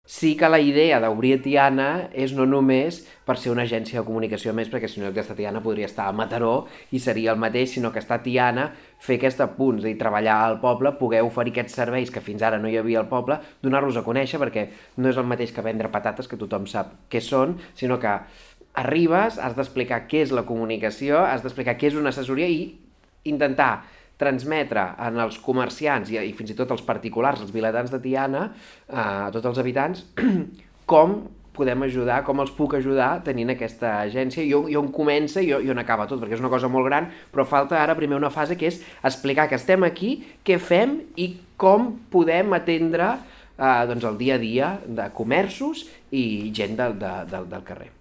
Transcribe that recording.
Sí que la idea d'obrir a Tiana és no només per ser una agència de comunicació més, perquè si no, aquesta Tiana podria estar a Mataró i seria el mateix, sinó que està a Tiana, fer aquest apunt, és a dir, treballar al poble, poder oferir aquests serveis que fins ara no hi havia al poble, donar-los a conèixer, perquè no és el mateix que vendre patates, que tothom sap què són, sinó que arribes, has d'explicar què és la comunicació, has d'explicar què és una assessoria i intentar transmetre en els comerciants i fins i tot els particulars, els vilatans de Tiana, a tots els habitants, com podem ajudar, com els puc ajudar tenint aquesta agència i on comença i on acaba tot, perquè és una cosa molt gran, però falta ara primer una fase que és explicar que estem aquí, què fem i com podem atendre doncs el dia a dia de comerços i gent del carrer.